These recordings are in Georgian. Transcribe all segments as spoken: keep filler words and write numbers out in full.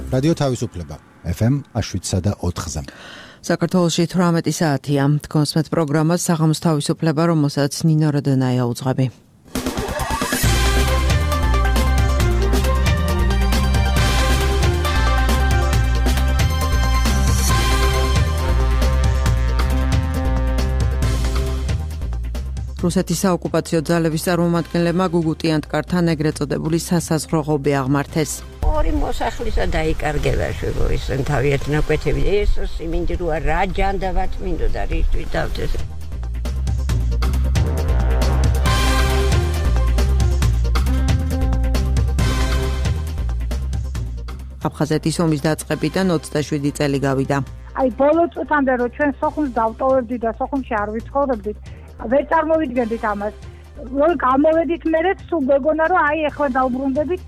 რადიო თავისუფლება ეფ ემ შვიდსა და ოთხზე. საქართველოში თვრამეტი საათია. თქვენს პროგრამას საღამოს თავისუფლება, რომელსაც ნინო როდონაია უძღვები. რუსეთის საოკუპაციო ძალების წარმომადგენლებმა გუგუტიანტკართან ეგრეთ წოდებული სასაზღვრო ღობე აღმართეს. ორი მოსახლისა დაიკარგება შეგოისენ თავიეთ ნაკვეთები ეს სიმინდროა რა ჯანდაბათ მინდოდა რისთვის დავდეს. აფხაზეთის ომის დაწყებიდან ოცდაშვიდი წელი გავიდა. აი ბოლო წუთამდე რომ ჩვენ სოხუმს დავტოვებდით და სოხუმში არ ვიცხოვრობდით, ვერ წარმოვიდგენდით ამას. რომ გამოვედით მერეც თუ მეგონა რომ აი ახლა დავბრუნდებით.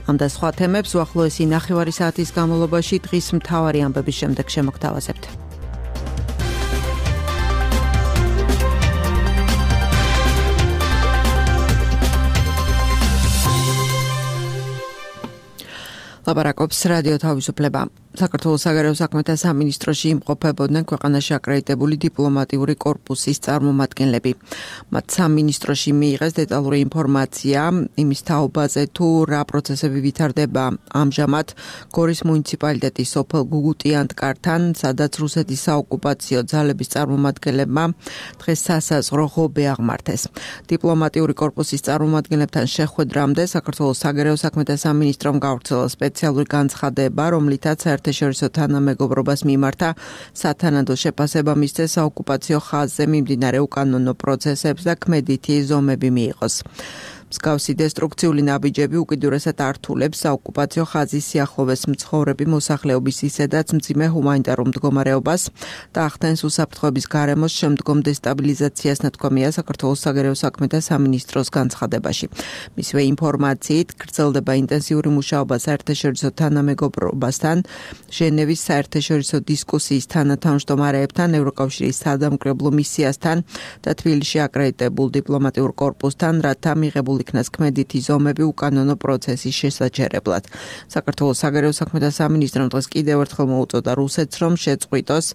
ამ და სხვა თემებს უახლოესი ნახევარი საათის განმავლობაში დღის მთავარი ამბების შემდეგ შემოგთავაზებთ. ლაპარაკობს რადიო თავისუფლება. საქართველოს საგარეო საქმეთა სამინისტროში იმყოფებოდნენ ქვეყანაში აკრედიტებული დიპლომატიური კორპუსის წარმომადგენლები. მათ სამინისტროში მიიღეს დეტალური ინფორმაცია იმის თაობაზე, თუ რა პროცესები ვითარდება ამჟამად გორის მუნიციპალიტეტის სოფელ გუგუტიანტკართან, სადაც რუსეთის საოკუპაციო ძალების წარმომადგენლებმა დღეს სასაზღვრო ღობე აღმართეს. დიპლომატიური კორპუსის წარმომადგენლებთან შეხვედრამდე საქართველოს საგარეო საქმეთა სამინისტრომ გავრცელა სპეციალური განცხადება, რომლითაც საერთაშორისო თანამეგობრობას მიმართა სათანადო შეფასება მისცეს საოკუპაციო ხაზზე მიმდინარე უკანონო პროცესებს და ქმედითი ზომები მიიღოს. მსგავსი დესტრუქციული ნაბიჯები უკიდურესად ართულებს საოკუპაციო ხაზის სიახლოვეს მცხოვრები მოსახლეობის ისედაც მძიმე ჰუმანიტარულ მდგომარეობას და ახდენს უსაფრთხოების გარემოს შემდგომ დესტაბილიზაციას, ნათქვამია საქართველოს საგარეო საქმეთა სამინისტროს განცხადებაში. მისივე ინფორმაციით გრძელდება ინტენსიური მუშაობა საერთაშორისო თანამეგობრობასთან, ჟენევის საერთაშორისო დისკუსიის თანათავმჯდომარეებთან, ევროკავშირის სადამკვირვებლო მისიასთან და თბილისში აკრედიტებულ დიპლომატიურ კორპუსთან, რათა მიღებული იქნას ქმედითი ზომები უკანონო პროცესის შესაჩერებლად. საქართველოს საგარეო საქმეთა სამინისტრომ დღეს კიდევ ერთხელ მოუწოდა რუსეთს, რომ შეწყვიტოს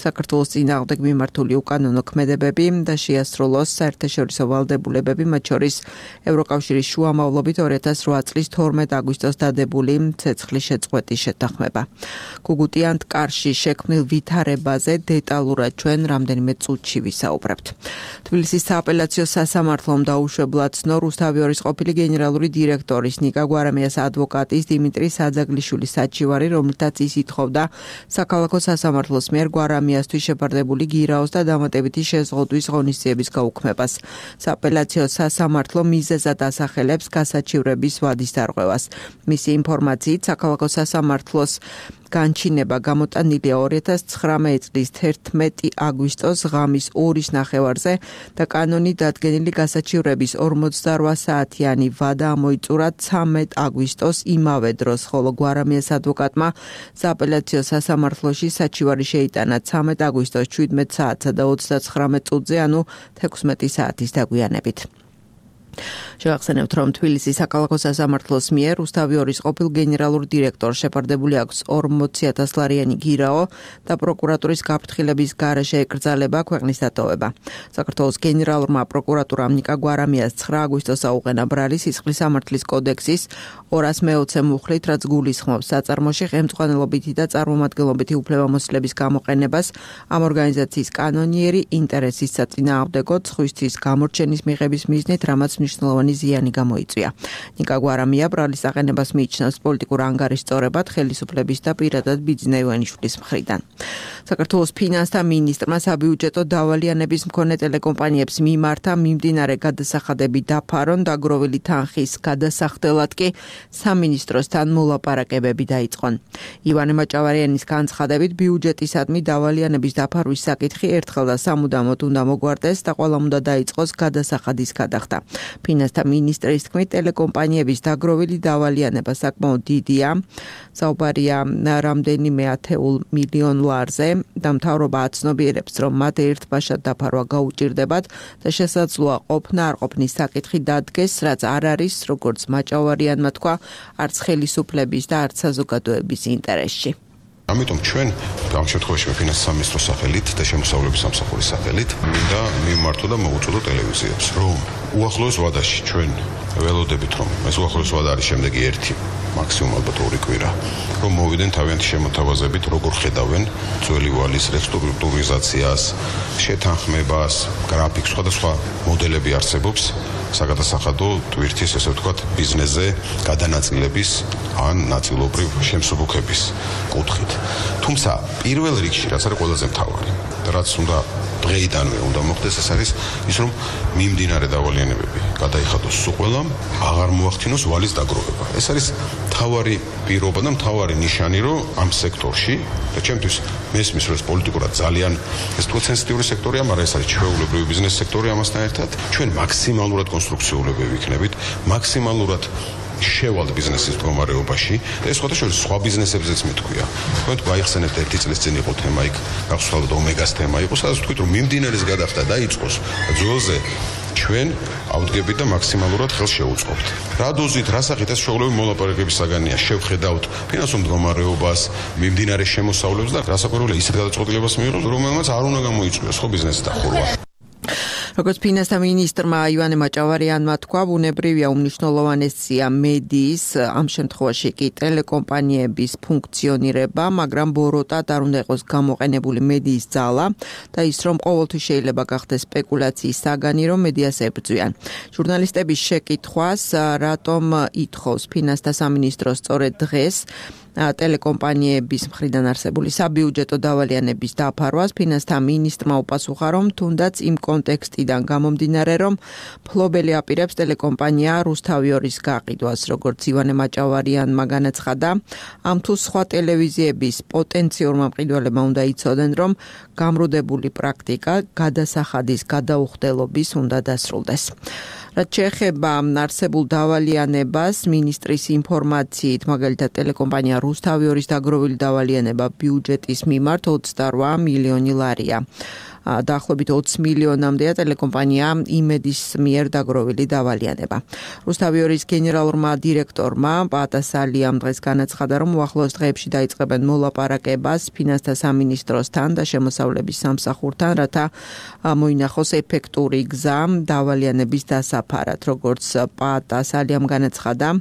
საქართველოს წინააღმდეგ მიმართული უკანონო ქმედებები და შეასრულოს საერთაშორისო ვალდებულებები, მათ შორის ევროკავშირის შუამავლობით ორი ათას რვა წლის თორმეტ აგვისტოს დადებული ცეცხლის შეწყვეტის შეთანხმება. გუგუტიანტკარში შექმნილ ვითარებაზე დეტალურად ჩვენ რამდენიმე წუთში ვისაუბრებთ. თბილისის სააპელაციო სასამართლომ დაუშვებლად ცნო რუსთავიორის ყოფილი გენერალური დირექტორის ნიკა გვარამიას ადვოკატის დიმიტრი საძაგლიშვილის საჩივარი, რომლითაც ის ითხოვდა საქალაქო სასამართლოს მიერ გვარამიასთვის შეფარდებული გირაოს და დამატებითი შეზღუდვის ღონისძიების გაუქმებას. სააპელაციო სასამართლო მიზეზად ასახელებს გასაჩივრების ვადის დარღვევას. მისი ინფორმაციით საქალაქო სასამართლოს განჩინება გამოტანილია ორი ათას ცხრამეტი წლის თერთმეტი აგვისტოს ღამის ორის ნახევარზე და კანონით დადგენილი გასაჩივრების ორმოცდარვა საათიანი ვადა ამოიწურა ცამეტ აგვისტოს იმავე დროს, ხოლო გვარამიას ადვოკატმა სააპელაციო სასამართლოში საჩივარი შეიტანა ცამეტ აგვისტოს შვიდმეტ საათსა და ოცდაცხრამეტ წუთზე, ანუ თექვსმეტი საათის დაგვიანებით. შევახსენებთ, რომ თბილისის საქალაქო სასამართლოს მიერ რუსთავიორის ყოფილ გენერალურ დირექტორს შეფარდებული აქვს ორმოცი ათას ლარიანი გირაო და პროკურატურის გაფრთხილების გარეშე ეკრძალება ქვეყნის დატოვება. საქართველოს გენერალურმა პროკურატურამ ნიკა გვარამიას ცხრა აგვისტოს აუყენა ბრალი სისხლის სამართლის კოდექსის ორას მეოცე მუხლით, რაც გულისხმობს საწარმოში ხელმძღვანელობითი და წარმომადგენლობითი უფლებამოსილების გამოყენებას ამ ორგანიზაციის კანონიერი ინტერესის საწინააღმდეგოდ სხვისთვის გამორჩენის მიღების მიზნით, რამაც მნიშვნელოვანი ზიანი გამოიწვია. ნიკა გვარამია ბრალის აყენებას მიიჩნევს პოლიტიკურ ანგარიშწორებად ხელისუფლების და პირადად ბიძინა ივანიშვილის მხრიდან. საქართველოს ფინანსთა მინისტრმა საბიუჯეტო დავალიანების მქონე ტელეკომპანიებს მიმართა მიმდინარე გადასახადები დაფარონ, დაგროვილი თანხის გადასახდელად კი სამინისტროსთან მოლაპარაკებები დაიწყონ. ივანე მაჭავარიანის განცხადებით ბიუჯეტისადმი დავალიანების დაფარვის საკითხი ერთხელ და სამუდამოდ უნდა მოგვარდეს და ყველამ უნდა დაიწყოს გადასახადის გადახდა. ფინანსთა მინისტრის თქმით, ტელეკომპანიების დაგროვილი დავალიანება საკმაოდ დიდია. საუბარია რამდენიმე ათეულ მილიონ ლარზე და მთავრობა აცნობიერებს, რომ მათ ერთბაშად დაფარვა გაუჭირდებათ და შესაძლოა ყოფნა არ ყოფნის საკითხი დადგეს, რაც არ არის, როგორც მაჭავარიანმა თქვა, არც ხელისუფლების და არც საზოგადოების ინტერესში. ამიტომ ჩვენ ამ შემთხვევაში ფინანსთა სამინისტროს სახელით და შემოსავლების სამსახურის სახელით მინდა მივმართო და მოვუწოდო ტელევიზიებს, რომ უახლოეს ვადაში ჩვენ ველოდებით, რომ ეს უახლოეს ვადა არის შემდეგი ერთი მაქსიმუმ ალბათ ორი კვირა, რომ მოვიდნენ თავიანთი შემოთავაზებით, როგორ ხედავენ ძველი ვალის რესტრუქტურიზაციას, შეთანხმებას, გრაფიკს, სხვადასხვა მოდელები არსებობს საგადასახადო ტვირთის, ესე ვთქვათ, ბიზნესზე გადანაწილების ან ნაწილობრივ შემსუბუქების კუთხით. თუმცა პირველ რიგში, რაც არის ყველაზე მთავარი, რაც უნდა დღეიდანვე უნდა მოხდეს, ეს არის ის, რომ მიმდინარე დავალიანებები გადაიხადოს სულ ყველამ, აღარ მოახდინოს ვალის დაგროვება. ეს არის მთავარი პირობა და მთავარი ნიშანი, რომ ამ სექტორში და ჩემთვის მესმის, რომ ეს პოლიტიკურად ძალიან ეს თქო სენსიტიური სექტორია, მაგრამ ეს არის ჩვეულებრივი ბიზნეს სექტორი ამასთან ერთად. ჩვენ მაქსიმალურად კონსტრუქციულები ვიქნებით, მაქსიმალურად შევალ ბიზნესის მდგომარეობაში და ეს სხვადასხვა სხვა ბიზნესებზეც მეთქვია. თქვენ თუ გაიხსენებთ ერთი წლის წინ იყო თემა იქ, გახსოვთ ომეგას თემა იყო, სადაც თქვით რომ მიმდინარეს გადახდა დაიწყოს ძველზე ჩვენ ავდგებით და მაქსიმალურად ხელს შევუწყობთ. რა დოზით, რა სახით ეს შეუძლებელი მოლაპარაკების საგანია, შევხედავთ ფინანსურ მდგომარეობას, მიმდინარე შემოსავლებს და რასაკვირველია ისეთ გადაწყვეტილებას მიიღოს, რომელმაც არ უნდა გამოიწვიოს ხო ბიზნესის დახურვა. როგორც ფინანსთა მინისტრმა ივანე მაჭავარიანმა თქვა, ბუნებრივია უმნიშვნელოვანესია მედიის, ამ შემთხვევაში კი ტელეკომპანიების ფუნქციონირება, მაგრამ ბოროტად არ უნდა იყოს გამოყენებული მედიის ძალა და ის, რომ ყოველთვის შეიძლება გახდეს სპეკულაციის საგანი, რომ მედიას ებრძვიან. ჟურნალისტების შეკითხვას, რატომ ითხოვს ფინანსთა სამინისტრო სწორედ დღეს ტელეკომპანიების მხრიდან არსებული საბიუჯეტო დავალიანების დაფარვას, ფინანსთა მინისტრმა უპასუხა, რომ თუნდაც იმ კონტექსტიდან გამომდინარე, რომ მფლობელი აპირებს ტელეკომპანია რუსთავიორის გაყიდვას, როგორც ივანე მაჭავარიანმა განაცხადა, ამ თუ სხვა ტელევიზიების პოტენციურმა მყიდველებმა უნდა იცოდნენ, რომ გამრუდებული პრაქტიკა გადასახადის გადაუხდელობის უნდა დასრულდეს. რაც შეეხება არსებულ დავალიანებას, მინისტრის ინფორმაციით, მაგალითად ტელეკომპანია რუსთავიორის დაგროვილი დავალიანება ბიუჯეტის მიმართ ოცდარვა მილიონი ლარია. დაახლოებით ოცი მილიონამდეა ტელეკომპანია იმედის მიერ დაგროვილი დავალიანება. რუსთავიორის გენერალურმა დირექტორმა პატასალიამ დღეს განაცხადა, რომ უახლოეს დღეებში დაიწყებენ მოლაპარაკებას ფინანსთა სამინისტროსთან და შემოსავლების სამსახურთან, რათა მოინახოს ეფექტური გზა დავალიანების დასაფარად. როგორც პატასალიამ განაცხადა,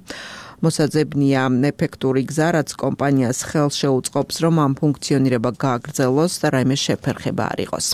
მოსაძებნია ეფექტური გზა, რაც კომპანიას ხელს შეუწყობს, რომ ამ ფუნქციონირება გააგრძელოს და რაიმე შეფერხება არ იყოს.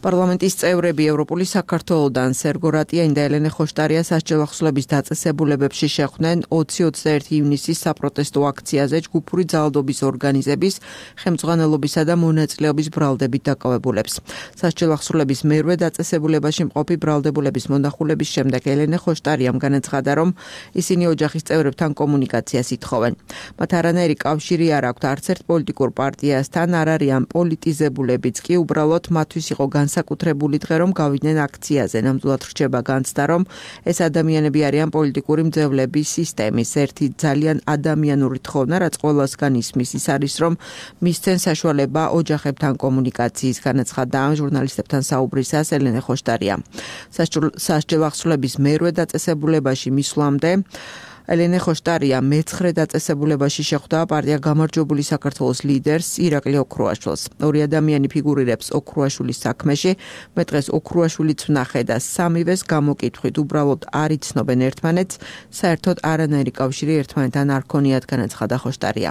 პარლამენტის წევრები ევროპული საქართველოდან სერგო რატიანი და ელენე ხოშტარია სასჯელ ახსნების დაწესებულებებში შეხვდნენ ოცი ოცდაერთი ივნისის საპროტესტო აქციაზე ჯგუფური ძალადობის ორგანიზების ხელმძღვანელობისა და მონაწილეობის ბრალდებით დაკავებულებს. სასჯელ ახსნების მერვე დაწესებულებაში მყოფი ბრალდებულების მონახულების შემდეგ ელენე ხოშტარიამ განაცხადა, რომ ისინი ოჯახის წევრებთან კომუნიკაციას ითხოვენ. მათ არანაირი კავშირი არ აქვთ არც ერთ პოლიტიკურ პარტიასთან, არ არიან პოლიტიზებულებიც კი, უბრალოდ მათთვის იყო განსაკუთრებული დღე, რომ გავიდნენ აქციაზე. ნამდვილად რჩება განცდა, რომ ეს ადამიანები არიან პოლიტიკური მძევლების სისტემის ერთი ძალიან ადამიანური თხოვნა, რაც ყველასგან ისმის, ის არის, რომ მისცენ საშუალება ოჯახებთან კომუნიკაციის, განაცხადა ჟურნალისტებთან საუბრისას ელენე ხოშტარია. სასჯელ ახსნების მერვე დაწესებულებაში მისვლამდე ელენე ხოშტარია მეცხრე დაწესებულებაში შეხვდა პარტია გამარჯვებული საქართველოს ლიდერს ირაკლი ოქრუაშვილს. ორი ადამიანი ფიგურირებს ოქრუაშვილის საქმეში, მე დღეს ოქრუაშვილიც ვნახე და სამივეს გამოკითხვით უბრალოდ არ იცნობენ ერთმანეთს, საერთოდ არანაირი კავშირი ერთმანეთთან არ ქონიათ, განაცხადა ხოშტარია.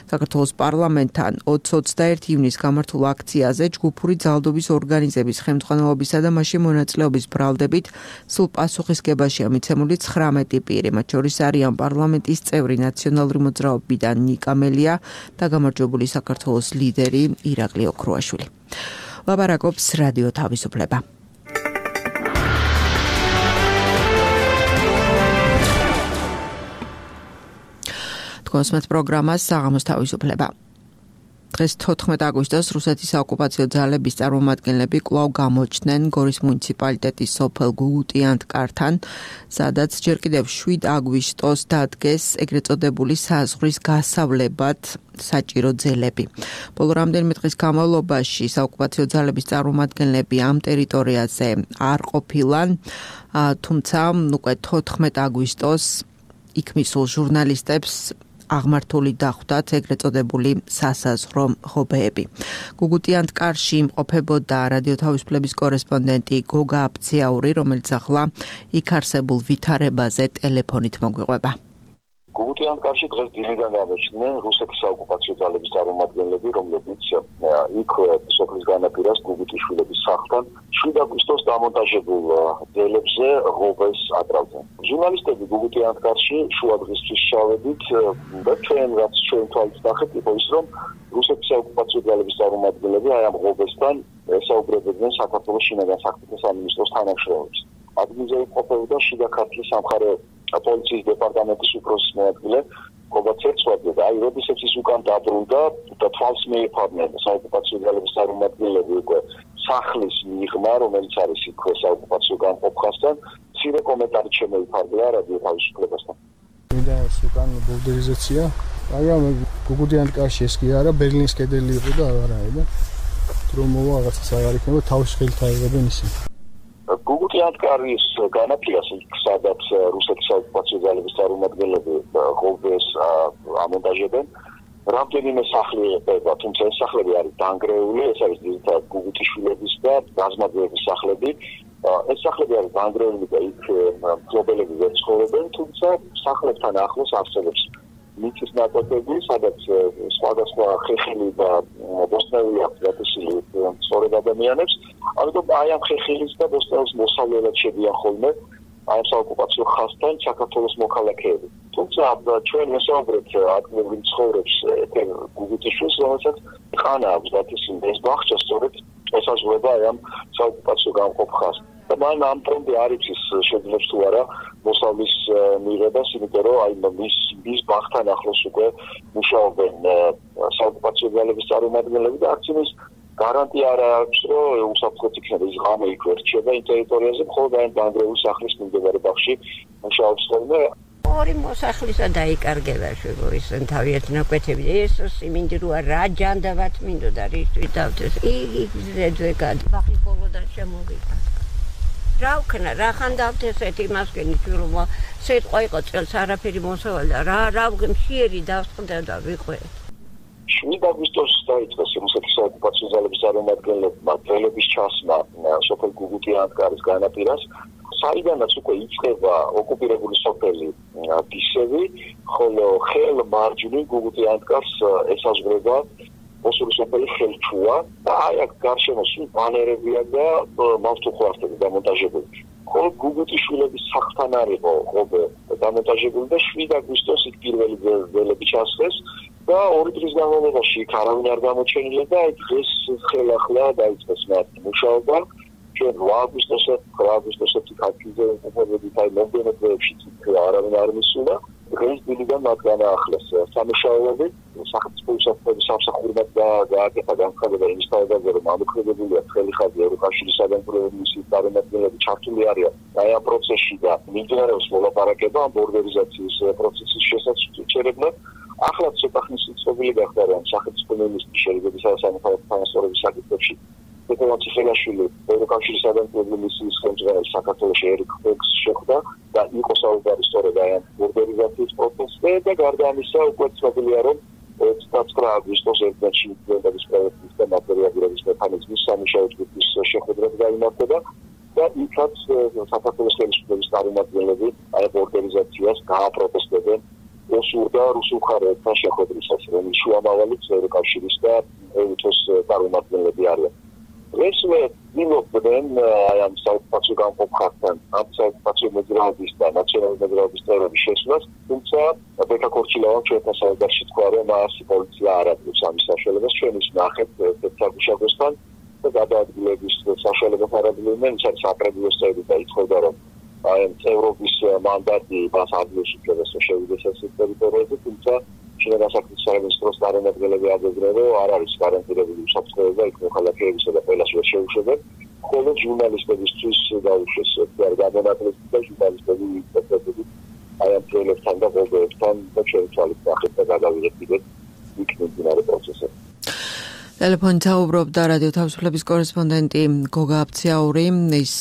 საქართველოს პარლამენტთან ოცი ოცდაერთი ივნის გამართულ აქციაზე ჯგუფური ძალადობის ორგანიზების ხელმძღვანელობისა და მასში მონაწილეობის ბრალდებით სულ პასუხისგებაშია მიცემული ცხრამეტი პირი, მათ შორის არიან პარლამენტის წევრი ნაციონალური მოძრაობიდან ნიკა მელია და გამარჯვებული საქართველოს ლიდერი ირაკლი ოქრუაშვილი. ლაპარაკობს რადიო თავისუფლება. თქვენს პროგრამას საღამოს თავისუფლება. დღეს თოთხმეტ აგვისტოს რუსეთის საოკუპაციო ძალების წარმომადგენლები კვლავ გამოჩნდნენ გორის მუნიციპალიტეტის სოფელ გუგუტიანთკართან, სადაც ჯერ კიდევ შვიდ აგვისტოს დადგეს ეგრეთ წოდებული საზღვრის გასავლებად საჭირო ძელები. ბოლო რამდენიმე დღის განმავლობაში საოკუპაციო ძალების წარმომადგენლები ამ ტერიტორიაზე არ ყოფილან, თუმცა უკვე თოთხმეტ აგვისტოს იქ მისულ ჟურნალისტებს აღმართული დახვდათ ეგრეთ წოდებული სასაზღვრო ღობეები. გუგუტიანთკარში იმყოფებოდა რადიო თავისუფლების კორესპონდენტი გოგა აბციაური, რომელიც ახლა იქ არსებულ ვითარებაზე ტელეფონით მოგვიყვება. გუგუტიანთკარში დღეს დილიდან გამოჩნდნენ რუსეთის საოკუპაციო ძალების წარმომადგენლები, რომლებიც იქ სოფლის განაპირას გუგუტიშვილების სახლთან შვიდ აგვისტოს დამონტაჟებულ ძელებზე ღობეს აკრავდნენ. ჟურნალისტები გუგუტიანთკარში შუა დღისთვის ჩავედით და ჩვენ რაც ჩვენ თვალით ნახეთ იყო ის, რომ რუსეთის საოკუპაციო ძალების წარმომადგენლები აი ამ ღობესთან ესაუბრებდნენ საქართველოს შინაგან საქმეთა სამინისტროს თანამშრომლებს. ადგილზე იმყოფებოდა შიდა ქართლის სამხარეო პოლიციის დეპარტამენტის უფროსის მოადგილე გოგა ცერცვაძე და აი როდესაც ის უკან დაბრუნდა და თვალს მიეფარნენ საოკუპაციო ძალების წარმომადგენლები უკვე სახლის მიღმა, რომელიც არის იქ საოკუპაციო გამყოფხასთან, მცირე კომენტარი შემოიფარგლა რადიო თავისუფლებასთან. მინდა უკან ბულდერიზაცია, მაგრამ გუგუტიანთკარში ეს კი არა, ბერლინის კედელი იყო და არა და რომ მოვა რაღაცას აღარ იქნება, თავის ხელით აიღებენ ისინი. გუგუტიანთკარის განაპირას, სადაც რუსეთის საოკუპაციო ძალების წარმომადგენლები ღობეს ამონტაჟებენ, რამდენიმე სახლი ეყება, თუმცა ეს სახლები არის დანგრეული, ეს არის ძირითადად გუგუტიშვილების და გაზმაძეების სახლები. ეს სახლები არის დანგრეული და იქ მფლობელები ვერ ცხოვრობენ, თუმცა სახლებთან ახლოს არსებობს მიწის ნაკვეთები, სადაც სხვადასხვა ხეხილი და ბოსტნეული აქვს გატაცილი სწორედ ადამიანებს. ამიტომ აი ამ ხეხილის და ბოსტნეულის მოსავლელად შედიან ხოლმე აი ამ საოკუპაციო ხაზთან საქართველოს მოქალაქეები. თუმცა ჩვენ ვესაუბრეთ ადგილობრივ ცხოვრებს ეთერ გუგუტიშვილს, რომელსაც ხანა აქვს გატაცილი ეს ბაღჩა სწორედ ესაზღვრება აი ამ საოკუპაციო გამყოფ ხაზს. და მან ამ პრომდე არ იცის შეძლებს თუ არა მოსავლის მიღებას, იმიტომ რომ აი მის მის ბაღთან ახლოს უკვე მუშაობენ საოკუპაციო ძალების წარმომადგენლები და არც იმის გარანტია არ აქვს, რომ უსაფრთხოდ იქნება ის ღამე იქ ვერ რჩება იმ ტერიტორიაზე, მხოლოდ აი დანგრეული სახლის მიმდებარე ბაღში მუშაობს ხოლმე. ორი მოსახლისა დაიკარგება შეგოისენ თავიანთ ნაკვეთები. ეს სიმინდი როა რა ჯანდაბათ მინდოდა რისთვის დავდეს. იგი ზედვე გად ბაღი ბოლოდან შემოვიდა. რა ვქნა, რა ხან დავთესეთ იმას გენიჩურმა, სიტყვა იყო წელს არაფერი მოსავალდა, რა რა მშიერი დავსყდა და ვიყვე. შვიდ აგვისტოს დაიწყეს რუსეთის საოკუპაციო ძალების წარმომადგენლებმა ძელების ჩასმა სოფელ გუგუტიანთკარის განაპირას, საიდანაც უკვე იწყება ოკუპირებული სოფელი დისევი, ხოლო ხელ მარჯვნივ გუგუტიანთკარს ესაზღვრება მოსული სოფელი ხელჩუა და აი აქ გარშემო სულ ბანერებია და მავთუხვართები დამონტაჟებული. ხოლო გუგუტიშვილების სახლთან არისო ღობე დამონტაჟებული და შვიდ აგვისტოს იქ პირველი ძელები ჩასხეს და ორი დღის განმავლობაში იქ არავინ არ გამოჩენილა და აი დღეს ხელახლა დაიწყეს მათი მუშაობა. ჩვენ რვა აგვისტოსზე რვა აგვისტოსზე ქართლზე უყურებდით აი მომდევნო დღეებში არავინ არ მისულა. დღეს დილიდან მათ განაახლეს სამუშაოები, სახელმწიფო უსაფრთხოების სამსახურებად გააკეთა განცხადება იმის თავზე, რომ ამოქმედებულია ცხელი ხაზი ევროკავშირის საგანმანათლებლო მისიის წარმომადგენლები ჩართული არიან აი ამ პროცესში და მიმდინარეობს მოლაპარაკება ამ ბორდერიზაციის პროცესის შესაჩერებლად. ახლა ცოტა ხნის ცნობილი გახდა, რომ სახელმწიფო მინისტრი შეერთებისა და სამოქალაქო თანასწორობის საკითხებში ეკონომიკა ციხელაშვილი ევროკავშირის საგანმანათლებლო მისიის ხელმძღვანელი საქართველოში ერიკ ფექს შეხვდა და იყო საუბარი სწორედ აი ამ ბორდერიზაციის პროცესზე და გარდა ამისა უკვე ცნობილია, რომ ოცდაათი აგვისტოს ერთდღეში მდგომარეობის პროექტის და მატერიალურობის მექანიზმის სამუშაო ჯგუფის შეხვედრა გაიმართება და იქაც საქართველოს ხელისუფლების წარმომადგენლები აი ბორდერიზაციას გააპროტესტებენ რუსულ და რუსულ მხარეებთან შეხვედრისას, რომელიც შუამავალიც ევროკავშირის და ეუთოს წარმომადგენლები არიან. ესმე დილობდნენ აი ამ საოკუპაციო გამყოფ ხაზთან, ამ საოკუპაციო მოძრაობის და ნაციონალური მოძრაობის წევრების შესვლას, თუმცა ბექა ქორჩილოვან ჩვენთან საუბარში თქვა, რომ მას პოლიცია არ აპირებს ამის საშუალებას, ჩვენ ის ნახეთ ერთსაგუშაგოსთან და გადაადგილების საშუალებას არ აპირებენ, ის არის საკრებულოს წევრი და ითხოვდა, რომ აი წევრობის მანდატი მას ადგილს უფლებას შევიდეს ეს ტერიტორიაზე, თუმცა ჩინეთის დასახლის სამინისტროს წარმომადგენლები აძებდნენ, რომ არ არის გარანტირებული უსაფრთხოება იქ მოქალაქეებისა და ყველას ვერ შეუშვებენ. ხოლო ჟურნალისტებისთვის დაუშვეს გადანაკლები და ჟურნალისტები ვიწევდნენ აი ამ პროექტთან და ყოველთან და ჩვენ თვალით ნახეთ და გადავიღეთ კიდე იქ მიმდინარე პროცესები. ტელეფონით საუბრობდა რადიო თავისუფლების კორესპონდენტი გოგა აფციაური. ის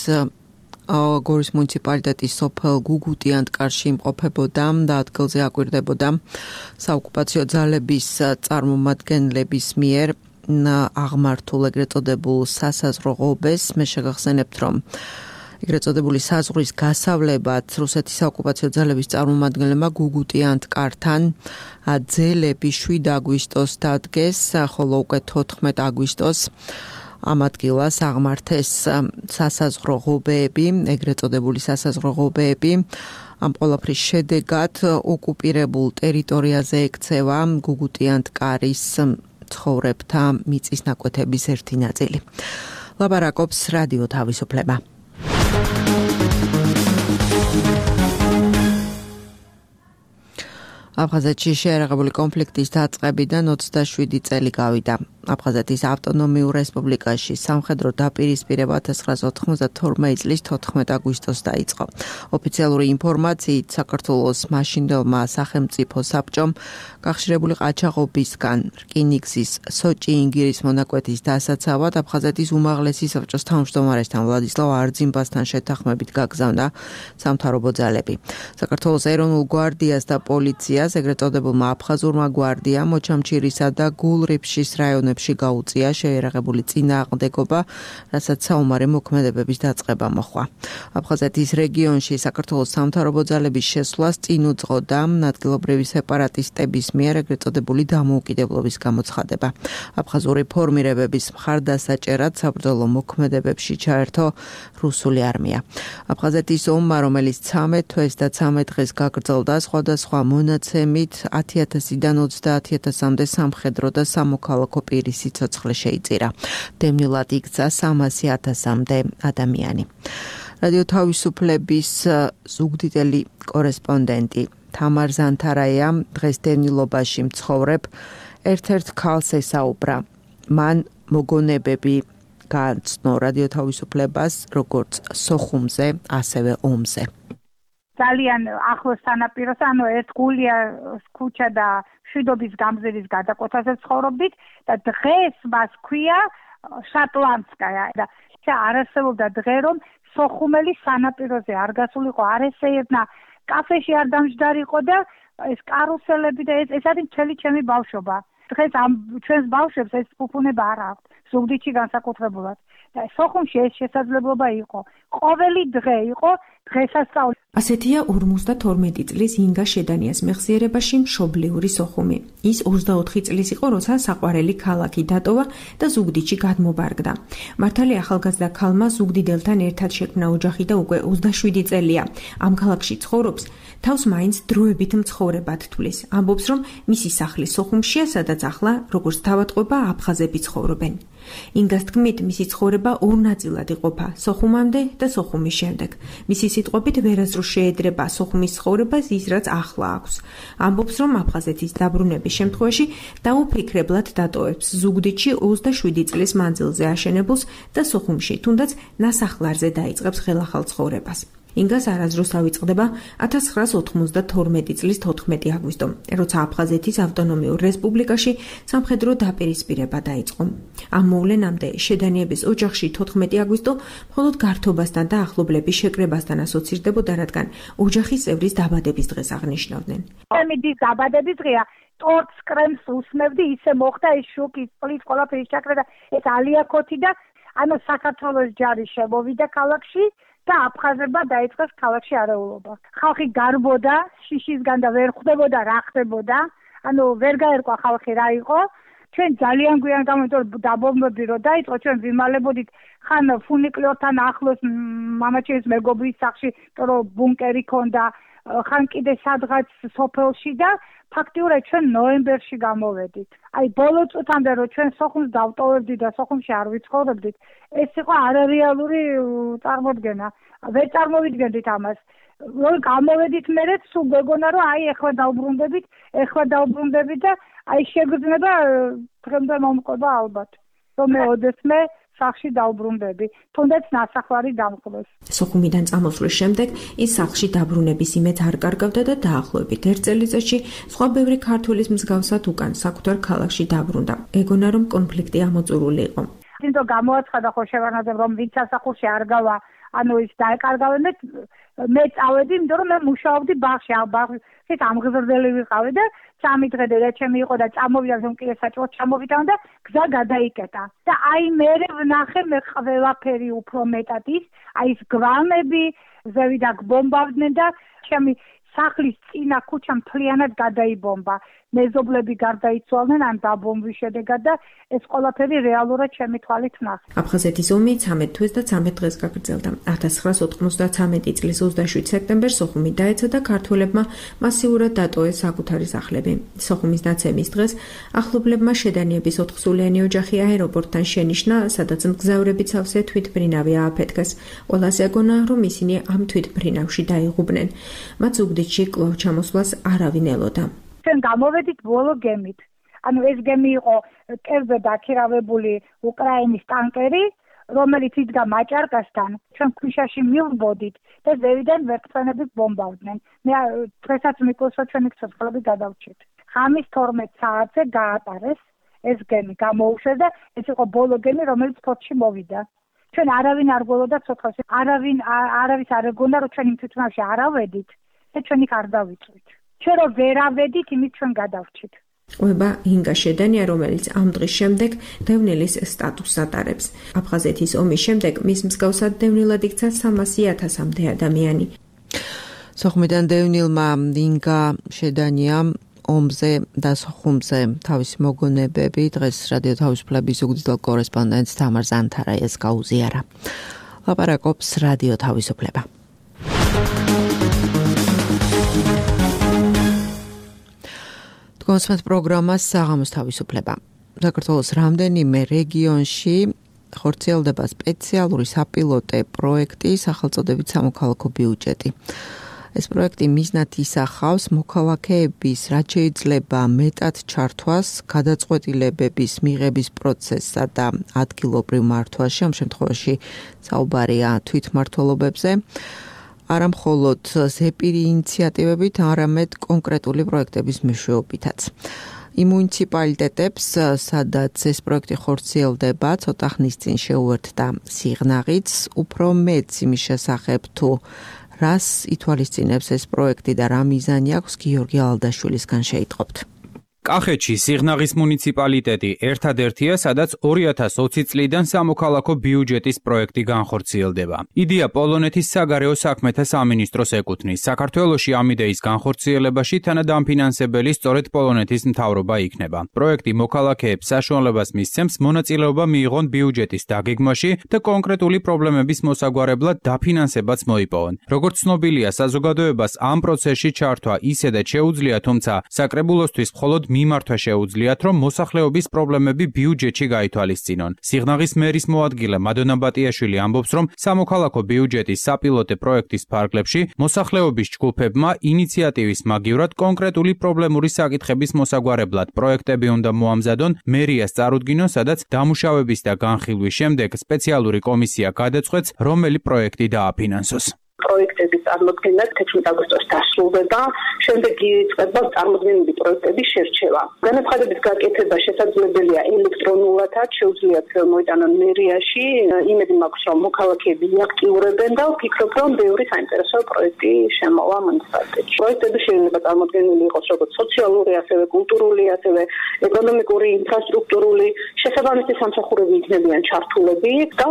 გორის მუნიციპალიტეტის სოფელ გუგუტიანტკარში იმყოფებოდა და ადგილზე აკვირდებოდა საოკუპაციო ძალების წარმომადგენლების მიერ აღმართულ ეგრეთ წოდებულ სასაზღვრო ღობეს. მე შეგახსენებთ, რომ ეგრეთ წოდებული საზღვრის გასავლებად რუსეთის საოკუპაციო ძალების წარმომადგენლებმა გუგუტიანტკართან ძელები შვიდ აგვისტოს დადგეს, ხოლო უკვე თოთხმეტ აგვისტოს ამ ადგილას აღმართეს სასაზღვრო ღობეები, ეგრეთ წოდებული სასაზღვრო ღობეები. ამ ყველაფრის შედეგად ოკუპირებულ ტერიტორიაზე ექცევა გუგუტიანტკარის ცხოვრებთა მიწის ნაკვეთების ერთი ნაწილი. ლაბარაკობს რადიო თავისუფლება. აფხაზეთში შეერაღებული კონფლიქტის დაწყებიდან ოცდაშვიდი წელი გავიდა. აფხაზეთის ავტონომიურ რესპუბლიკაში სამხედრო დაპირისპირება ათას ცხრაასა ოთხმოცდათორმეტი წლის თოთხმეტ აგვისტოს დაიწყო. ოფიციალური ინფორმაციით საქართველოს მაშინდელმა სახელმწიფო საბჭომ გახშირებული ყაჩაღობისგან რკინიგზის სოჭი-ინგირის მონაკვეთის დასაცავად აფხაზეთის უმაღლესი საბჭოს თავმჯდომარესთან ვლადისლავ არძიმბასთან შეთანხმებით გაგზავნა სამთავრობო ძალები. საქართველოს ეროვნულ გვარდიას და პოლიციას ეგრეთ წოდებულმა აფხაზურმა გვარდიამ მოჩამჩირისა და გულრიფშის რაიონებში გაუწია შეერაღებული წინააღმდეგობა, რასაც საომარი მოქმედებების დაწყება მოჰყვა. აფხაზეთის რეგიონში საქართველოს სამთავრობო ძალების შესვლას წინ უძღოდა ადგილობრივი სეპარატისტების მიერ ეგრეთ წოდებული დამოუკიდებლობის გამოცხადება. აფხაზური ფორმირებების მხარდასაჭერად საბრძოლო მოქმედებებში ჩაერთო რუსული არმია. აფხაზეთის ომმა, რომელიც ცამეტ თვეს და ცამეტ დღეს გაგრძელდა, სხვადასხვა მონაცემით ათი ათასიდან ოცდაათი ათასამდე სამხედრო და სამოქალაქო პირის სიცოცხლე შეიწირა. დევნილად იქცა სამასი ათასამდე ადამიანი. რადიო თავისუფლების ზუგდიდელი კორესპონდენტი თამარ ზანთარაია დღეს დევნილობაში მცხოვრებ ერთ-ერთ ქალს ესაუბრა. მან მოგონებები გააცნო რადიო თავისუფლებას როგორც სოხუმზე, ასევე ომზე. ძალიან ახლოს სანაპიროს, ანუ ერთ გულია ქუჩა და შვიდობის გამზირის გადაკვეთაზე ცხოვრობდით და დღეს მას ქვია შატლანსკაია და არ არსებობდა დღე რომ სოხუმელი სანაპიროზე არ გასულიყო, არ ესეებნა, კაფეში არ დამჯდარიყო და ეს კარუსელები და ეს ეს არის მთელი ჩემი ბავშვობა. დღეს ამ ჩვენს ბავშვებს ეს ფუფუნება არ აქვს ზუგდიდში განსაკუთრებულად. და სოხუმში ეს შესაძლებლობა იყო. ყოველი დღე იყო დღესასწაული. ასეთია ორმოცდათორმეტი წლის ინგა შედანიას მეხსიერებაში მშობლიური სოხუმი. ის ოცდაოთხი წლის იყო, როცა საყვარელი ქალაქი დატოვა და ზუგდიდში გადმობარგდა. მართალი ახალგაზრდა ქალმა ზუგდიდელთან ერთად შექმნა ოჯახი და უკვე ოცდაშვიდი წელია. ამ ქალაქში ცხოვრობს, თავს მაინც დროებით მცხოვრებად თვლის. ამბობს, რომ მისი სახლი სოხუმშია, სადაც ახლა როგორც თავატყვება აფხაზები ცხოვრობენ. ინგას თქმით, მისი ცხოვრება ორ ნაწილად იყოფა, სოხუმამდე და სოხუმის შემდეგ. მისი სიტყვებით ვერასდროს შეედრება სოხუმის ცხოვრებას ის, რაც ახლა აქვს. ამბობს, რომ აფხაზეთის დაბრუნების შემთხვევაში დაუფიქრებლად დატოვებს ზუგდიდში ოცდაშვიდი წლის მანძილზე აშენებულს და სოხუმში, თუნდაც ნასახლარზე დაიწყებს ხელახალ ცხოვრებას. ინგას არასდროს ავიწყდება ათას ცხრაასა ოთხმოცდათორმეტი წლის თოთხმეტი აგვისტო, როცა აფხაზეთის ავტონომიურ რესპუბლიკაში სამხედრო დაპირისპირება დაიწყო. ამ მოვლენამდე შედანიების ოჯახში თოთხმეტი აგვისტო მხოლოდ გართობასთან და ახლობლების შეკრებასთან ასოცირდებოდა, რადგან ოჯახის წევრის დაბადების დღეს აღნიშნავდნენ. ამის დაბადების დღეა, ტორტს კრემს უსმევდი, ისე მოხდა ეს შოკი, წყლის ყველაფერი ჩაკრა და ეს ალიაკოთი და ანუ საქართველოს ჯარი შემოვიდა ქალაქში. და აფხაზებმა დაიწყეს ქალაქში არეულობა. ხალხი გარბოდა შიშისგან და ვერ ხვდებოდა რა ხდებოდა. ანუ ვერ გაერკვა ხალხი რა იყო. ჩვენ ძალიან გვიან გამომიტო დაბომბები რო დაიწყო, ჩვენ ვიმალებოდით ხან ფუნიკლორთან ახლოს მამაჩემის მეგობრის სახლში, რომ ბუნკერი ქონდა, ხან კიდე სადღაც სოფელში და ფაქტიურად ჩვენ ნოემბერში გამოვედით. აი ბოლო წუთამდე რომ ჩვენ სოხუმს დავტოვებდით და სოხუმში არ ვიცხოვრობდით, ეს იყო არარეალური წარმოდგენა. ვერ წარმოვიდგენდით ამას. რომ გამოვედით მერე სულ გეგონა რომ აი ეხლა დავბრუნდებით, ეხლა დავბრუნდებით და აი შეგრძნება დღემდე მომყვება ალბათ. რომ მე ოდესმე სახლში დავბრუნდები, თუნდაც ნასახლარი დამკლეს. სოხუმიდან წამოსვლის შემდეგ ის სახლში დაბრუნების იმედს არ კარგავდა და დაახლოებით ერთ წელიწადში სხვა ბევრი ქართველის მსგავსად უკან საკუთარ ქალაქში დაბრუნდა. ეგონა რომ კონფლიქტი ამოწურული იყო. თვითონ გამოაცხადა ხო შევარნაძემ რომ ვინც სასახლში არ გავა, ანუ ის დაეკარგავენ და მე წავედი, იმიტომ რომ მე მუშაობდი ბაღში, ბაღში ამღზრდელი ვიყავი და სამი დღე და ჩემი იყო და წამოვიდა ზომკილე საჭმელად ჩამოვიდა და გზა გადაიკეტა. და აი მე ვნახე მე ყველაფერი უფრო მეტად ის, აი ეს გვამები ზევიდა გბომბავდნენ და ჩემი სახლის წინა ქუჩა მთლიანად გადაიბომბა. მეზობლები გარდაიცვალნენ ან დაბომბვის შედეგად და ეს ყველაფერი რეალურად ჩემი თვალით ვნახე. აფხაზეთის ომი ცამეტ თვეს და ცამეტ დღეს გაგრძელდა. ათას ცხრაას ოთხმოცდათამეტი წლის ოცდაშვიდ სექტემბერს სოხუმი დაეცა და ქართველებმა მასიურად დატოვეს საკუთარი სახლები. სოხუმის დაცემის დღეს ახლობლებმა შედანიების ოთხსულიანი ოჯახი აეროპორტთან შენიშნა, სადაც მგზავრების სავსე თვითმფრინავი ააფეთქეს. ყველას ეგონა, რომ ისინი ამ თვითმფრინავში დაიღუპნენ. მათ ზუგდიდში კვლავ ჩამოსვლას არავინ ელოდა. ჩვენ გამოვედით ბოლო გემით. ანუ ეს გემი იყო კერძო დაქირავებული უკრაინის ტანკერი, რომელიც იდგა მაჭარკასთან. ჩვენ ქვიშაში მივბოდით და ზევიდან ვერტმფრენები ბომბავდნენ. მე დღესაც მიკვლევს, რომ ჩვენი ცოცხლები გადავჭით. ღამის თორმეტ საათზე გაატარეს ეს გემი, გამოუშვეს და ეს იყო ბოლო გემი, რომელიც ფოთში მოვიდა. ჩვენ არავინ არ გველოდა ცოცხალში, არავინ არავის არ ეგონა, რომ ჩვენ იმ თვითმფრინავში არ ავედით და ჩვენ იქ არ დავიწვით. ჩვენ რო ვერ ავედით, იმით ჩვენ გადავრჩით. ყვება ინგა შედანია, რომელიც ამ დღის შემდეგ დევნილის სტატუსს ატარებს. აფხაზეთის ომის შემდეგ მის მსგავსად დევნილად იქცა სამასი ათასამდე ადამიანი. სოხუმიდან დევნილმა ინგა შედანია ომზე და სოხუმზე თავისი მოგონებები დღეს რადიო თავისუფლების ზუგდიდელ კორესპონდენტს თამარ ზანთარაიას გაუზიარა. ლაპარაკობს რადიო თავისუფლება. კონსმეთ პროგრამას საღამოს თავისუფლება. საქართველოს რამდენიმე რეგიონში ხორციელდება სპეციალური საპილოტე პროექტი სახელწოდებით სამოქალაქო ბიუჯეტი. ეს პროექტი მიზნად ისახავს მოქალაქეების რაც შეიძლება მეტად ჩართვას გადაწყვეტილებების მიღების პროცესსა და ადგილობრივ მართვაში, ამ შემთხვევაში საუბარია თვითმმართველობებზე. არა მხოლოდ ზეპირი ინიციატივებით, არამედ კონკრეტული პროექტების მეშვეობითაც. იმ მუნიციპალიტეტებს, სადაც ეს პროექტი ხორციელდება, ცოტა ხნის წინ შეუერთდა სიღნაღიც, უფრო მეც იმის შესახებ თუ რას ითვალისწინებს ეს პროექტი და რა მიზანი აქვს, გიორგი ალდაშვილისგან შეიტყობთ. კახეთში სიღნაღის მუნიციპალიტეტი ერთადერთია, სადაც ორი ათას ოცი წლიდან სამოქალაქო ბიუჯეტის პროექტი განხორციელდება. იდეა პოლონეთის საგარეო საქმეთა სამინისტროს ეკუთვნის. საქართველოში ამ იდეის განხორციელებაში თანადამფინანსებელი სწორედ პოლონეთის მთავრობა იქნება. პროექტი მოქალაქეებს საშუალებას მისცემს მონაწილეობა მიიღონ ბიუჯეტის დაგეგმვაში და კონკრეტული პრობლემების მოსაგვარებლად დაფინანსებაც მოიპოვონ. როგორც ცნობილია, საზოგადოებას ამ პროცესში ჩართვა ისედაც შეუძლია, თუმცა საკრებულოსთვის მხოლოდ მიმართვა შეუძლიათ, რომ მოსახლეობის პრობლემები ბიუჯეტში გაითვალისწინონ. სიღნაღის მერის მოადგილე მადონა ბატიაშვილი ამბობს, რომ სამოქალაქო ბიუჯეტის საპილოტე პროექტის ფარგლებში მოსახლეობის ჯგუფებმა ინიციატივის მაგივრად კონკრეტული პრობლემური საკითხების მოსაგვარებლად პროექტები უნდა მოამზადონ, მერიას წარუდგინონ, სადაც დამუშავების და განხილვის შემდეგ სპეციალური კომისია გადაწყვეტს, რომელი პროექტი დააფინანსოს. პროექტების წარმოქმნა თექვსმეტ აგვისტოს დასრულდება, შემდეგ იწყება წარმოქმნილი პროექტების შერჩევა. განაცხადების გაკეთება შესაძლებელია ელექტრონულადაც, შეუძლიათ მოიტანონ მერიაში. იმედი მაქვს, რომ მოქალაქეები აქტიურებენ და ვფიქრობ, რომ ბევრი საინტერესო პროექტი შემოვა მუნიციპალიტეტში. პროექტები შეიძლება წარმოქმნილი იყოს როგორც სოციალური, ასევე კულტურული, ასევე ეკონომიკური, ინფრასტრუქტურული. შესაბამისი სამსახურები იქნებიან ჩართულები და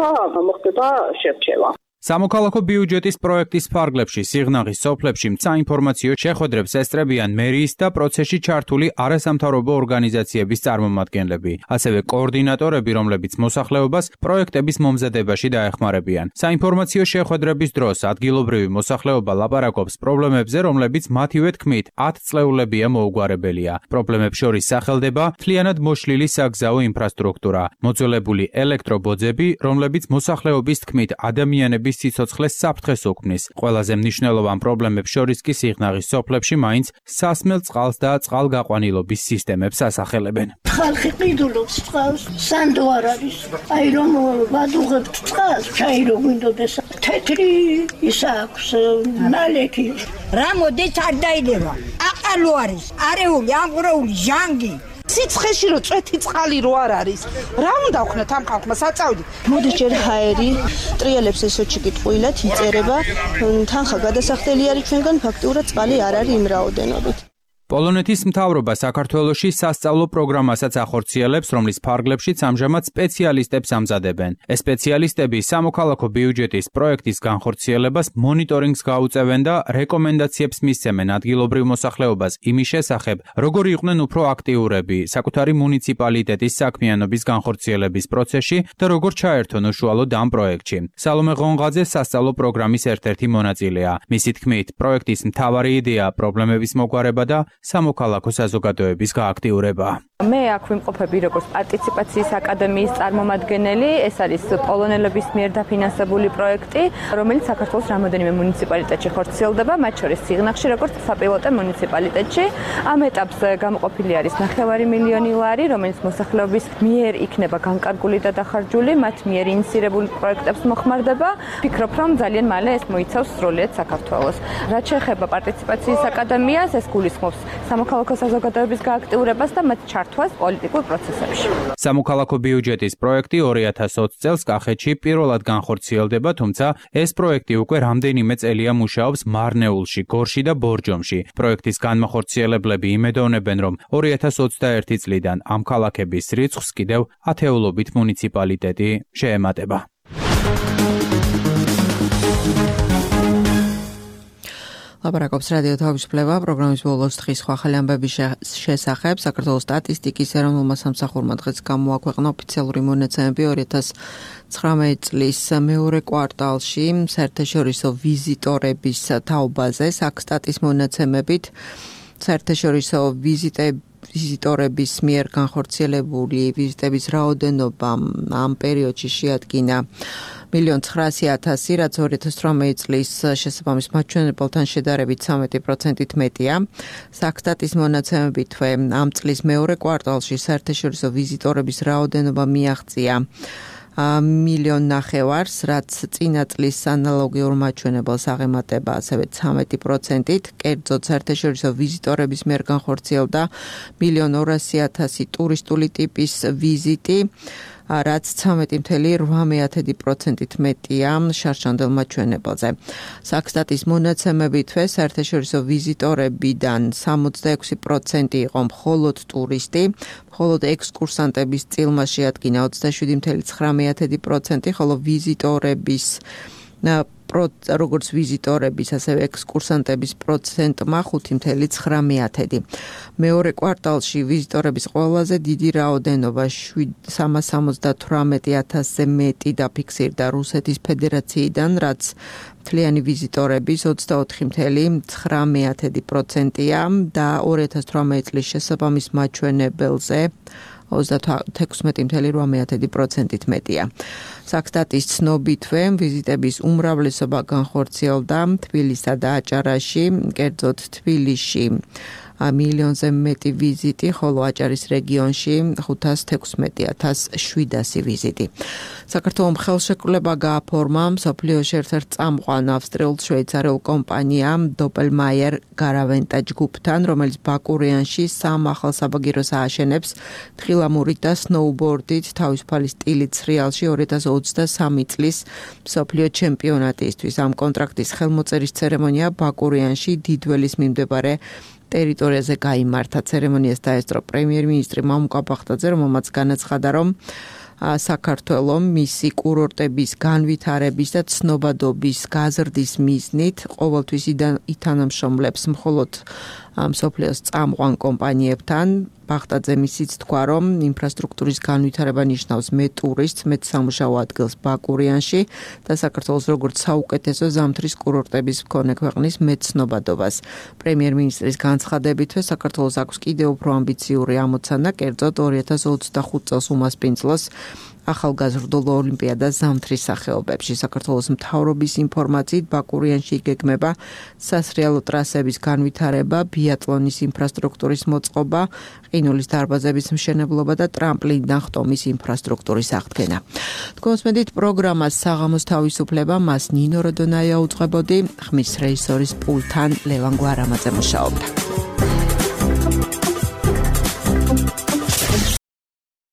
მოხდება შერჩევა. სამოქალაქო ბიუჯეტის პროექტის ფარგლებში სიღნაღის სოფლებში საინფორმაციო შეხვედრებს ესწრებიან მერიის და პროცესში ჩართული არასამთავრობო ორგანიზაციების წარმომადგენლები, ასევე კოორდინატორები, რომლებიც მოსახლეობას პროექტების მომზადებაში დაეხმარებიან. საინფორმაციო შეხვედრების დროს ადგილობრივი მოსახლეობა ლაპარაკობს პრობლემებზე, რომლებიც მათივე თქმით ათწლეულებია მოუგვარებელია. პრობლემებს შორის სახელდება მთლიანად მოშლილი საგზაო ინფრასტრუქტურა, მოძველებული ელექტრობოძები, რომლებიც მოსახლეობის თქმით ადამიანების ირგვლივ სიცოცხლეს საფრთხეს უქმნის. ყველაზე მნიშვნელოვან პრობლემებს შორის კი სიღნაღის სოფლებში მაინც სასმელ წყალს და წყალგაყვანილობის სისტემებს ასახელებენ. ხალხი ყიდულობს წყალს, სანდო არ არის. აი რომ ვადუღებთ წყალს, ჩაირო გვინდოდეს. თეთრი ის აქვს ნალექი. რა მოდის არ დაიდება. აყალო არის, არეული, ამღრეული, ჟანგი. სიცხეში რო წვეთი წყალი რო არ არის. რა უნდა ვქნათ ამ ხალხმა საწავდი? მოდის ჯერ ჰაერი, ტრიალებს ესოჩი კიტყვილად იწერება, თანხა გადასახდელი არის ჩვენგან, ფაქტიურად წყალი არ არის იმ რაოდენობით. პოლონეთის მთავრობა საქართველოში სასწავლო პროგრამასაც ახორციელებს, რომლის ფარგლებშიც ამჟამად სპეციალისტებს ამზადებენ. ეს სპეციალისტები სამოქალაქო ბიუჯეტის პროექტის განხორციელებას მონიტორინგს გაუწევენ და რეკომენდაციებს მისცემენ ადგილობრივ მოსახლეობას იმის შესახებ, როგორ იყვნენ უფრო აქტიურები საკუთარი მუნიციპალიტეტის საქმიანობის განხორციელების პროცესში და როგორ ჩაერთონ უშუალოდ ამ პროექტში. სალომე ღონღაძე სასწავლო პროგრამის ერთ-ერთი მონაწილეა. მისი თქმით, პროექტის მთავარი იდეა პრობლემების მოგვარება და სამოქალაქო საზოგადოების გააქტიურება. მე აქ ვიმყოფები როგორც პარტიციპაციის აკადემიის წარმომადგენელი, ეს არის პოლონელების მიერ დაფინანსებული პროექტი, რომელიც საქართველოს რამდენიმე მუნიციპალიტეტში ხორციელდება, მათ შორის სიღნაღში როგორც საპილოტო მუნიციპალიტეტში. ამ ეტაპზე გამოყოფილი არის ნახევარი მილიონი ლარი, რომელიც მოსახლეობის მიერ იქნება განკარგული და დახარჯული, მათ მიერ ინიცირებული პროექტებს მოხმარდება. ვფიქრობ, რომ ძალიან მალე ეს მოიცავს სრულიად საქართველოს. რაც შეეხება პარტიციპაციის აკადემიას, ეს გულისხმობს სამოქალაქო საზოგადოების გააქტიურებას და მათ ჩართვას პოლიტიკურ პროცესებში. სამოქალაქო ბიუჯეტის პროექტი ორი ათას ოცი წელს კახეთში პირველად განხორციელდება, თუმცა ეს პროექტი უკვე რამდენიმე წელია მუშაობს მარნეულში, გორში და ბორჯომში. პროექტის განმახორციელებლები იმედოვნებენ, რომ ორი ათას ოცდაერთი წლიდან ამ ქალაქების რიცხვს კიდევ ათეულობით მუნიციპალიტეტი შეემატება. ლაპარაკობს რადიო თავისუფლება პროგრამის ბოლოს დღის სხვა ახალი ამბების შესახებ. საქართველოს სტატისტიკის ეროვნულმა სამსახურმა დღეს გამოაქვეყნა ოფიციალური მონაცემები ორი ათას ცხრამეტი წლის მეორე კვარტალში საერთაშორისო ვიზიტორების თაობაზე. საქსტატის მონაცემებით საერთაშორისო ვიზიტები ვიზიტორების მიერ განხორციელებული ვიზიტების რაოდენობა ამ პერიოდში შეადგინა მილიონ ცხრაასი ათასი, რაც ორი ათას ცხრამეტი წლის შესაბამის მაჩვენებელთან შედარებით ცხრამეტი პროცენტით მეტია. საქსტატის მონაცემებითვე ამ წლის მეორე კვარტალში საერთაშორისო ვიზიტორების რაოდენობა მიაღწია მილიონ ნახევარს, რაც წინა წლის ანალოგიურ მაჩვენებელს აღემატება ასევე ცხრამეტი პროცენტით. კერძოდ საერთაშორისო ვიზიტორების მიერ განხორციელდა მილიონ ორასი ათასი ტურისტული ტიპის ვიზიტი, რაც ცხრამეტი წუთი რვა პროცენტით მეტია შარშანდელ მაჩვენებელზე. საქსტატის მონაცემებითვე საერთაშორისო ვიზიტორებიდან სამოცდაექვსი პროცენტი იყო მხოლოდ ტურისტი, მხოლოდ ექსკურსანტების წილმა შეადგინა ოცდაშვიდი წუთი ცხრამეტი პროცენტი, ხოლო ვიზიტორების როგორც ვიზიტორების, ასევე ექსკურსანტების პროცენტმა ხუთი წუთი ცხრამეტი. მეორე კვარტალში ვიზიტორების ყველაზე დიდი რაოდენობა სამას სამოცდათვრამეტი ათასზე მეტი დაფიქსირდა რუსეთის ფედერაციიდან, რაც მთლიანი ვიზიტორების ოცდაოთხი წუთი ცხრამეტი პროცენტია და ორი ათას თვრამეტი წლის შესაბამის მაჩვენებელზე ოცდათექვსმეტი წუთი რვა პროცენტით მეტია. საქსტატის ცნობითვე ვიზიტების უმრავლესობა განხორციელდა თბილისსა და აჭარაში, კერძოდ თბილისში მილიონზე მეტი ვიზიტი, ხოლო აჭარის რეგიონში ხუთას თექვსმეტი ათას შვიდასი ვიზიტი. საქართველოს ხელშეკრულება გააფორმა მსოფლიოში ერთ-ერთ წამყვან ავსტრიულ-შვეიცარიულ კომპანიამ დოპელმაიერ გარავენტა ჯგუფთან, რომელიც ბაკურიანში სამ ახალ საბაგიროს ააშენებს თხილამურით და სნოუბორდით თავისუფალი სტილით სრიალში ორი ათას ოცდასამი წლის მსოფლიო ჩემპიონატისთვის. ამ კონტრაქტის ხელმოწერის ცერემონია ბაკურიანში დიდველის მიმდებარე ტერიტორიაზე გაიმართა. ცერემონიას დაესწრო პრემიერ-მინისტრი მამუკა ბახტაძე, რომელმაც განაცხადა, რომ საქართველო მისი კურორტების განვითარების და ცნობადობის გაზრდის მიზნით ყოველთვის ითანამშრომლებს მხოლოდ მსოფლიოს წამყვან კომპანიებთან. ბახტაძე ისიც თქვა, რომ ინფრასტრუქტურის განვითარება ნიშნავს მეტ ტურისტს, მეტ სამუშაო ადგილს ბაკურიანში და საქართველოს როგორც საუკეთესო ზამთრის კურორტების მქონე ქვეყნის მეტ ცნობადობას. პრემიერ-მინისტრის განცხადებითვე საქართველოს აქვს კიდევ უფრო ამბიციური ამოცანა, კერძოდ ორი ათას ოცდახუთ წელს უმასპინძლოს ახალგაზრდულ ოლიმპიადას ზამთრის სახეობებში. საქართველოს მთავრობის ინფორმაციით ბაკურიანში იგეგმება სასრიალო ტრასების განვითარება, ბიატლონის ინფრასტრუქტურის მოწყობა, ყინულის დარბაზების მშენებლობა და ტრამპლინიდან ხტომის ინფრასტრუქტურის აღდგენა. თქვენსმენდით პროგრამას საღამოს თავისუფლება, მას ნინო როდონაია უძღვებოდი, ხმის რეჟისორის პულთან ლევან გვარამაძე მუშაობდა.